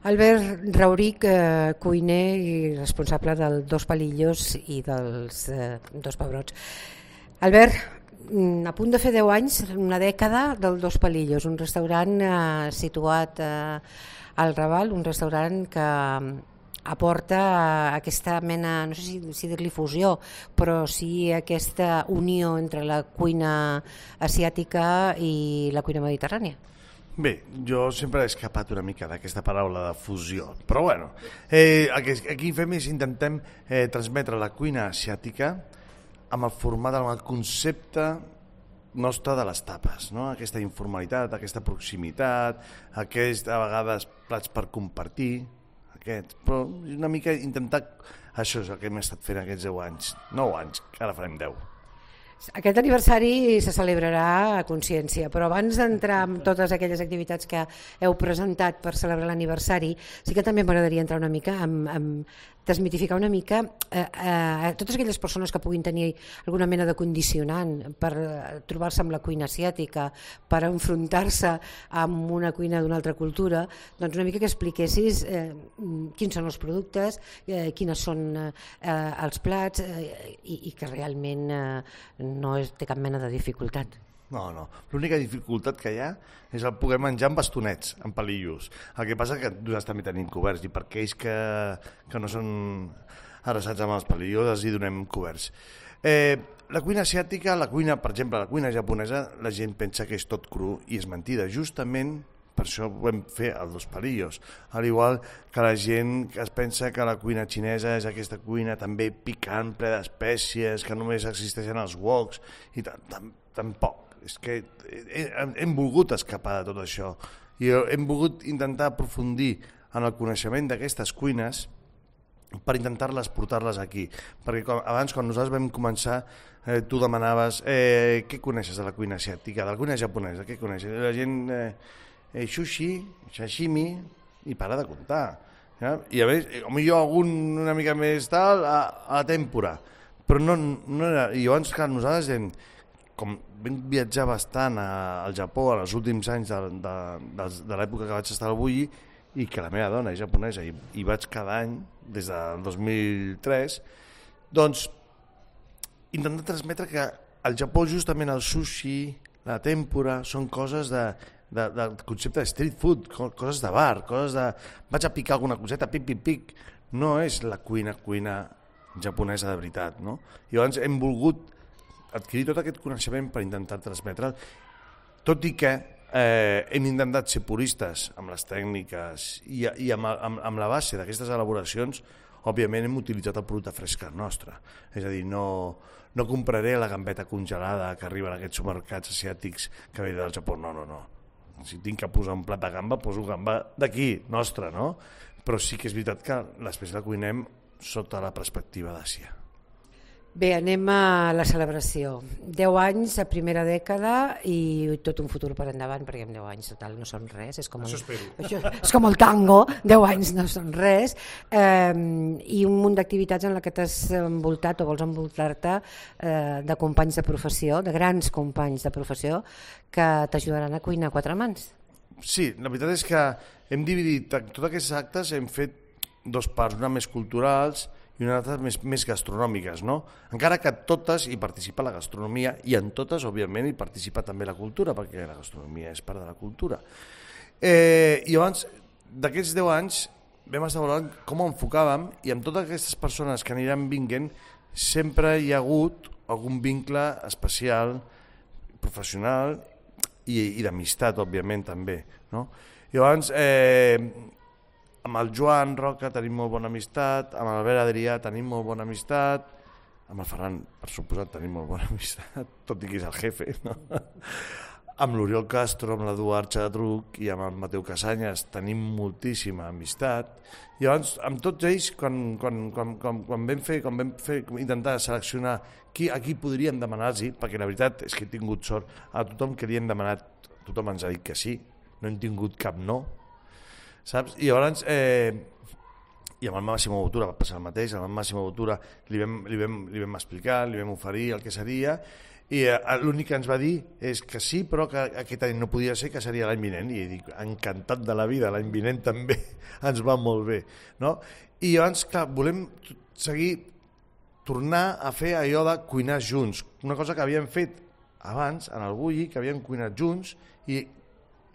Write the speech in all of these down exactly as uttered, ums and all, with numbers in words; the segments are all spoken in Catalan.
Albert Rauric, eh, cuiner i responsable del Dos Palillos i dels eh, Dos Pebrots. Albert, a punt de fer deu anys, una dècada del Dos Palillos, un restaurant eh, situat eh, al Raval, un restaurant que aporta aquesta mena, no sé si, si dir-li fusió, però sí aquesta unió entre la cuina asiàtica i la cuina mediterrània. Bé, jo sempre he escapat una mica d'aquesta paraula de fusió, però bueno, eh, aquí, aquí fem és intentem eh, transmetre la cuina asiàtica amb el format, amb el concepte nostre de les tapes, no? Aquesta informalitat, aquesta proximitat, aquests a vegades plats per compartir, aquests, però una mica intentar, això és el que hem estat fent aquests deu anys, nou anys, que ara farem deu. Aquest aniversari se celebrarà a Consciència, però abans d'entrar en totes aquelles activitats que heu presentat per celebrar l'aniversari, sí que també m'agradaria entrar una mica en, en desmitificar una mica eh, eh, totes aquelles persones que puguin tenir alguna mena de condicionant per trobar-se amb la cuina asiàtica, per enfrontar-se amb una cuina d'una altra cultura, doncs una mica que expliquessis eh, quins són els productes, eh, quines són eh, els plats eh, i, i que realment eh, no és, té cap mena de dificultat. No, no. L'única dificultat que hi ha és el poder menjar amb bastonets, amb palillos. El que passa que nosaltres també tenim coberts i per aquells que, que no són adreçats amb els palillos els hi donem coberts. Eh, la cuina asiàtica, la cuina, per exemple, la cuina japonesa, la gent pensa que és tot cru i és mentida. Justament per això ho vam fer els Dos Palillos. Al igual que la gent que es pensa que la cuina xinesa és aquesta cuina també picant, ple d'espècies, que només existeixen els woks, i tampoc. És que hem volgut escapar de tot això i hem volgut intentar aprofundir en el coneixement d'aquestes cuines per intentar-les portar-les aquí. Perquè com, abans, quan nosaltres vam començar, eh, tu demanaves eh, què coneixes de la cuina asiàtica, de la cuina japonesa, què coneixes? La gent... Eh, Eh, sushi, sashimi, i para de comptar. Ja? I a més, potser algun una mica més tal, a, a la tèmpora. Però no, no era... I llavors, clar, nosaltres hem, com vam viatjar bastant a, al Japó en els últims anys de, de, de, de l'època que vaig estar al Bulli, i que la meva dona és japonesa, i, i vaig cada any, des del dos mil tres, doncs, intentar transmetre que al Japó justament el sushi, la tèmpora, són coses de... De, del concepte de street food, coses de bar, coses de... vaig a picar alguna coseta, pic, pic, pic. No és la cuina, cuina japonesa de veritat, no? I llavors hem volgut adquirir tot aquest coneixement per intentar transmetre'l, tot i que eh, hem intentat ser puristes amb les tècniques i, i amb, amb, amb la base d'aquestes elaboracions, òbviament hem utilitzat el producte fresc nostre. És a dir, no, no compraré la gambeta congelada que arriba en aquests supermercats asiàtics que ve del Japó, no, no, no. Si tinc que posar un plat de gamba, poso gamba d'aquí, nostra, no? Però sí que és veritat que després la cuinem sota la perspectiva d'Àsia. Bé, anem a la celebració. deu anys a primera dècada i tot un futur per endavant, perquè en deu anys total no són res. És com el, Això espero. Això, és com el tango, deu anys no són res. Eh, I un munt d'activitats en la que t'has envoltat o vols envoltar-te eh, de companys de professió, de grans companys de professió, que t'ajudaran a cuinar a quatre mans. Sí, la veritat és que hem dividit tots aquests actes, hem fet dos parts, una més culturals i una altra més, més gastronòmiques, no? Encara que totes hi participa la gastronomia i en totes, òbviament, hi participa també la cultura, perquè la gastronomia és part de la cultura. Eh, I llavors, d'aquests deu anys, vam estar valorant com ho enfocàvem i amb totes aquestes persones que aniran vinguent sempre hi ha hagut algun vincle especial, professional i, i d'amistat, òbviament, també, no? I llavors, eh, amb el Joan Roca tenim molt bona amistat, amb l'Albert Adrià tenim molt bona amistat, amb el Ferran, per suposat, tenim molt bona amistat, tot i que és el jefe, no? Amb l'Oriol Castro, amb l'Eduard Xadruc i amb el Mateu Casanyes tenim moltíssima amistat. I llavors, amb tots ells, quan, quan, quan, quan, quan vam fer, quan vam fer intentar seleccionar qui, a qui podríem demanar-los, perquè la veritat és que he tingut sort, a tothom que li hem demanat, tothom ens ha dit que sí, no hem tingut cap no, saps? I llavors, eh, i amb el Massimo Bottura va passar el mateix, amb el Massimo Bottura li vam, li vam, li vam explicar, li vam oferir el que seria, I l'únic que ens va dir és que sí, però que aquest any no podia ser, que seria l'any vinent. I dic, encantat de la vida, l'any vinent també ens va molt bé. No? I llavors, clar, volem seguir, tornar a fer allò de cuinar junts. Una cosa que havíem fet abans, en el Bulli, que havíem cuinat junts, i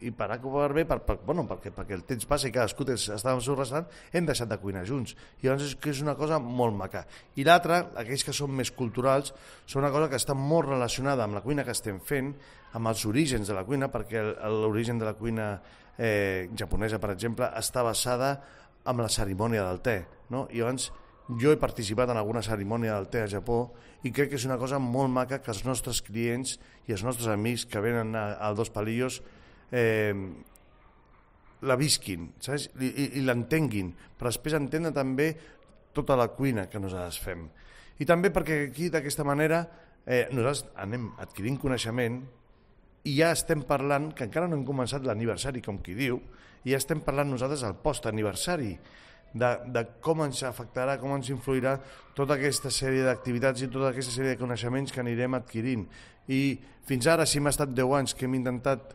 i per A que per B, per, per, bueno, perquè, perquè el temps passa i cadascú estava al seu restaurant, hem deixat de cuinar junts. I llavors és, que és una cosa molt maca. I l'altra, aquells que són més culturals, són una cosa que està molt relacionada amb la cuina que estem fent, amb els orígens de la cuina, perquè l'origen de la cuina eh, japonesa, per exemple, està basada en la cerimònia del te. No? I llavors jo he participat en alguna cerimònia del te a Japó i crec que és una cosa molt maca que els nostres clients i els nostres amics que venen al Dos Palillos Eh, la visquin, saps? I, i, i l'entenguin, però després entendre també tota la cuina que nosaltres fem. I també perquè aquí, d'aquesta manera, eh, nosaltres anem adquirint coneixement i ja estem parlant, que encara no hem començat l'aniversari, com qui diu, i ja estem parlant nosaltres al post-aniversari, de, de com ens afectarà, com ens influirà tota aquesta sèrie d'activitats i tota aquesta sèrie de coneixements que anirem adquirint. I fins ara, si hem estat deu anys que hem intentat,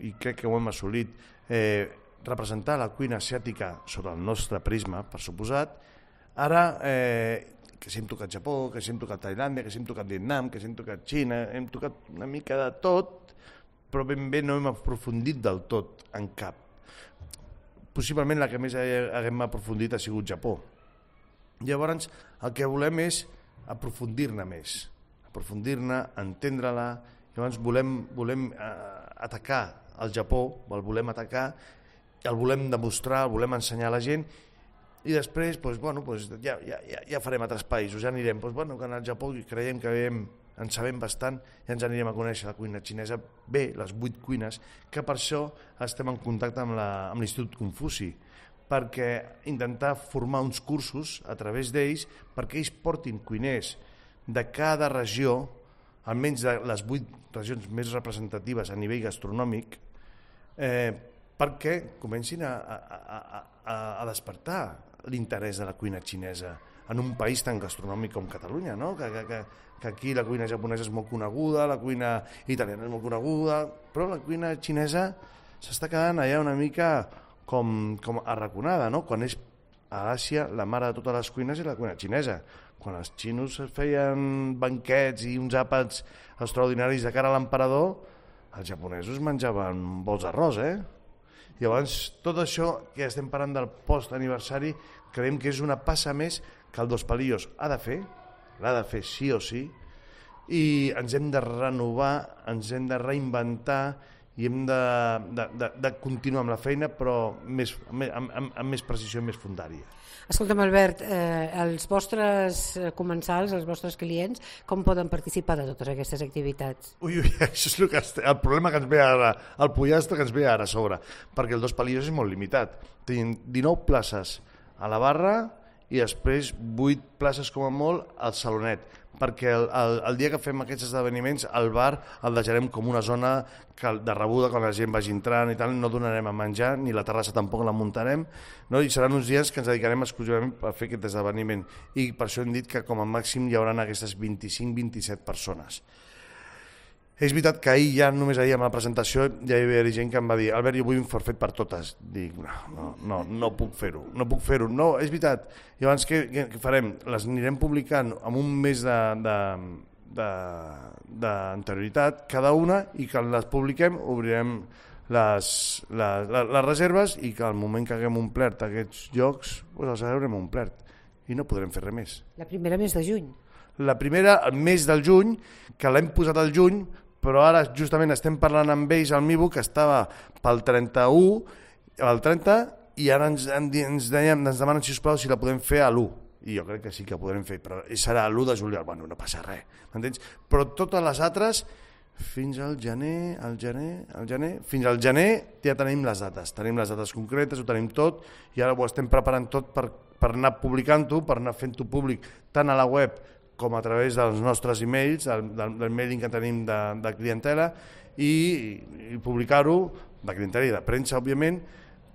i crec que ho hem assolit, eh, representar la cuina asiàtica sota el nostre prisma, per suposat. Ara, eh, que si hem tocat Japó, que si hem tocat Tailàndia, que si hem tocat Vietnam, que si hem tocat Xina, hem tocat una mica de tot, però ben bé no hem aprofundit del tot en cap. Possiblement la que més hem aprofundit ha sigut Japó. Llavors, el que volem és aprofundir-ne més, aprofundir-ne, entendre-la. Llavors volem, volem eh, atacar el Japó, el volem atacar, el volem demostrar, el volem ensenyar a la gent i després doncs, bueno, doncs, ja, ja, ja farem altres països, ja anirem. Doncs, bueno, que al Japó creiem que hem, en sabem bastant i ens anirem a conèixer la cuina xinesa bé, les vuit cuines, que per això estem en contacte amb l'Institut Confuci, perquè intentar formar uns cursos a través d'ells perquè ells portin cuiners de cada regió, almenys de les vuit regions més representatives a nivell gastronòmic, eh, perquè comencin a, a, a, a despertar l'interès de la cuina xinesa en un país tan gastronòmic com Catalunya, no? que, que, que aquí la cuina japonesa és molt coneguda, la cuina italiana és molt coneguda, però la cuina xinesa s'està quedant allà una mica com, com arraconada, no? Quan és a l'Àsia la mare de totes les cuines és la cuina xinesa. Quan els xinos feien banquets i uns àpats extraordinaris de cara a l'emperador, els japonesos menjaven bols d'arròs, eh? Llavors, tot això que estem parlant del post-aniversari, creiem que és una passa més que el Dos Palillos ha de fer, l'ha de fer sí o sí, i ens hem de renovar, ens hem de reinventar i hem de, de, de, de continuar amb la feina, però més, amb, amb, amb més precisió i més fundària. Escolta'm, Albert, eh, els vostres comensals, els vostres clients, com poden participar de totes aquestes activitats? Ui, ui, això és el, que, el problema que ens ve ara, el pollastre que ens ve ara a sobre, perquè el Dos Palillos és molt limitat. Tenim dinou places a la barra i després vuit places com a molt al salonet, perquè el, el, el dia que fem aquests esdeveniments el bar el deixarem com una zona de rebuda quan la gent vagi entrant i tal, no donarem a menjar, ni la terrassa tampoc la muntarem, no? I seran uns dies que ens dedicarem exclusivament a fer aquest esdeveniment i per això hem dit que com a màxim hi haurà aquestes vint-i-cinc vint-i-set persones. És veritat que ahir, ja només ahir amb la presentació, ja hi havia gent que em va dir Albert, jo vull un forfet per totes. Dic, no, no, no, no puc fer-ho, no puc fer-ho. No, és veritat. I abans què, què farem? Les anirem publicant amb un mes d'anterioritat cada una i que les publiquem obrirem les, les, les, les reserves i que al moment que haguem omplert aquests llocs, doncs els haurem omplert i no podrem fer res més. La primera mes de juny. La primera, el mes del juny, que l'hem posat al juny, però ara justament estem parlant amb ells al Mibu, que estava pel trenta-u, el trenta, i ara ens, ens, deien, ens demanen, sisplau, si la podem fer a l'u. I jo crec que sí que podrem fer, però serà l'u de juliol. Bueno, no passa res, m'entens? Però totes les altres, fins al gener, al gener, al gener, fins al gener ja tenim les dates, tenim les dates concretes, ho tenim tot, i ara ho estem preparant tot per, per anar publicant-ho, per anar fent-ho públic, tant a la web com a través dels nostres e-mails, del, del, del mailing que tenim de, de clientela, i, i publicar-ho, de clientela i de premsa, òbviament,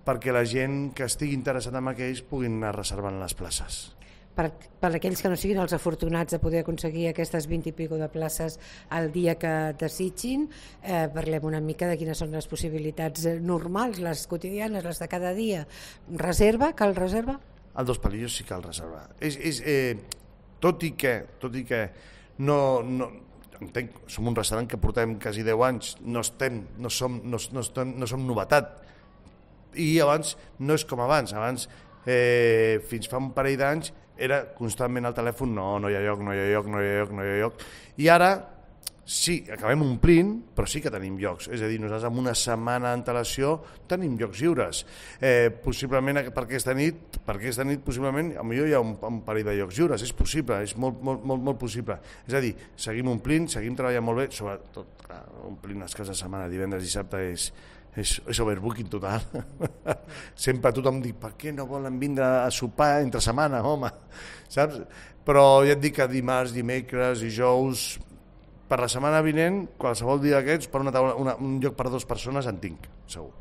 perquè la gent que estigui interessada en aquells puguin anar reservant les places. per, per aquells que no siguin els afortunats de poder aconseguir aquestes vint i pico de places al dia que desitgin, eh, parlem una mica de quines són les possibilitats normals, les quotidianes, les de cada dia. Reserva, cal reserva? El Dos Palillos sí cal reservar. És, és, eh, tot i que, tot i que no, no, entenc, som un restaurant que portem quasi deu anys, no, estem, no, som, no, no, estem, no som novetat, i abans no és com abans, abans eh, fins fa un parell d'anys era constantment al telèfon, no, no hi ha lloc, no hi ha lloc, no hi ha lloc, no hi ha lloc, i ara sí, acabem omplint, però sí que tenim llocs, és a dir, nosaltres amb una setmana d'antelació tenim llocs lliures, eh, possiblement per aquesta nit, per aquesta nit possiblement, potser hi ha un, un parell de llocs lliures, és possible, és molt, molt, molt, molt possible, és a dir, seguim omplint, seguim treballant molt bé, sobretot, clar, omplint les cases de setmana, divendres i dissabte és és, és overbooking total. Sempre tothom diu, per què no volen vindre a sopar entre setmana, home? Saps? Però ja et dic que dimarts, dimecres, dijous, per la setmana vinent, qualsevol dia d'aquests, per una taula, una, un lloc per a dues persones en tinc, segur.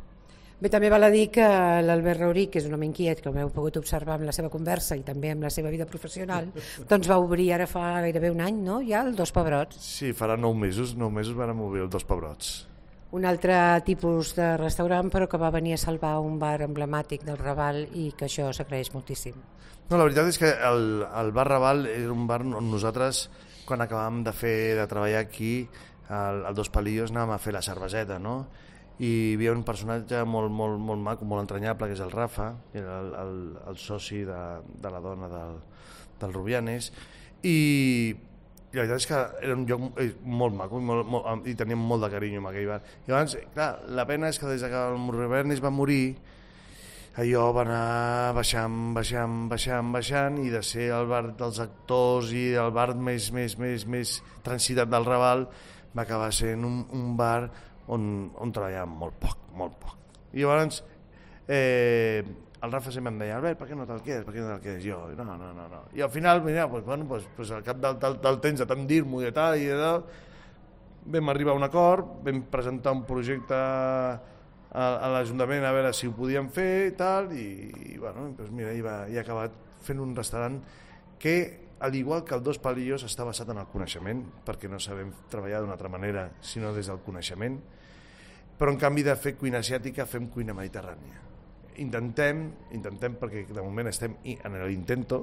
Bé, també val a dir que l'Albert Rauric, que és un home inquiet, que ho heu pogut observar amb la seva conversa i també amb la seva vida professional, doncs va obrir ara fa gairebé un any, no?, ja el Dos Pebrots. Sí, farà nou mesos, nou mesos vam obrir el Dos Pebrots. Un altre tipus de restaurant, però que va venir a salvar un bar emblemàtic del Raval i que això s'agraeix moltíssim. No, la veritat és que el, el bar Raval era un bar on nosaltres, quan acabàvem de fer de treballar aquí, al, al Dos Palillos, anàvem a fer la cerveseta, no? I hi havia un personatge molt, molt, molt maco, molt entranyable, que és el Rafa, que era el, el, el soci de, de la dona del, del Rubianes, i I la veritat és que era un lloc molt maco i, molt, molt, i teníem molt de carinyo amb aquell bar. I llavors, clar, la pena és que des que el Rubianes va morir, allò va anar baixant, baixant, baixant, baixant, i de ser el bar dels actors i el bar més, més, més, més transitat del Raval, va acabar sent un, un bar on, on treballàvem molt poc, molt poc. I llavors, eh, el Rafa sempre em deia, Albert, per què no te'l quedes, per què no te'l quedes? Jo, no, no, no, no. I al final, mira, pues, bueno, pues, pues al cap del, del, del temps de tant dir-m'ho i de tal, i de tal, vam arribar a un acord, vam presentar un projecte a, a l'Ajuntament a veure si ho podíem fer i tal, i, i bueno, pues mira, i, va, i ha acabat fent un restaurant que, al igual que el Dos Palillos, està basat en el coneixement, perquè no sabem treballar d'una altra manera, sinó des del coneixement, però en canvi de fer cuina asiàtica fem cuina mediterrània. Intentem, intentem perquè de moment estem en l'intento,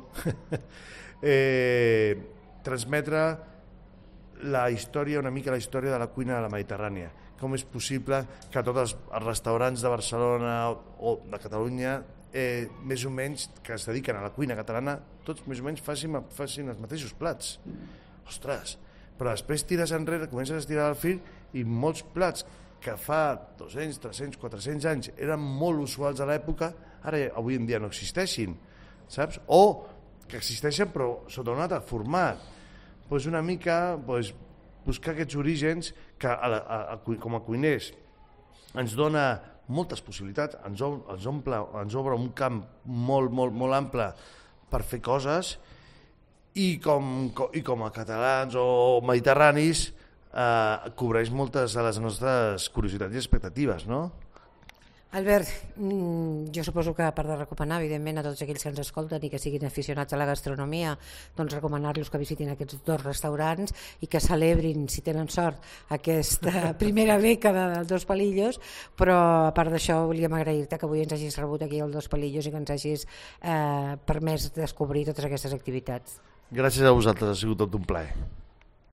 eh, transmetre la història, una mica la història de la cuina de la Mediterrània. Com és possible que tots els restaurants de Barcelona o de Catalunya, eh, més o menys, que es dediquen a la cuina catalana, tots més o menys facin, facin els mateixos plats. Ostres, però després tires enrere, comences a estirar el fil i molts plats que fa dos-cents, tres-cents, quatre-cents anys eren molt usuals a l'època, ara avui en dia no existeixin, saps? O que existeixen però sota un altre format. Pues una mica pues, buscar aquests orígens que a la, a, a, com a cuiners ens dona moltes possibilitats, ens, ens, omple, ens obre un camp molt, molt, molt ample per fer coses i com, i com a catalans o mediterranis Uh, cobreix moltes de les nostres curiositats i expectatives, no? Albert, jo suposo que a part de recomanar, evidentment, a tots aquells que ens escolten i que siguin aficionats a la gastronomia, doncs recomanar-los que visitin aquests dos restaurants i que celebrin, si tenen sort, aquesta primera dècada dels Dos Palillos, però a part d'això volíem agrair-te que avui ens hagis rebut aquí al Dos Palillos i que ens hagis eh, permès descobrir totes aquestes activitats. Gràcies a vosaltres, ha sigut tot un plaer.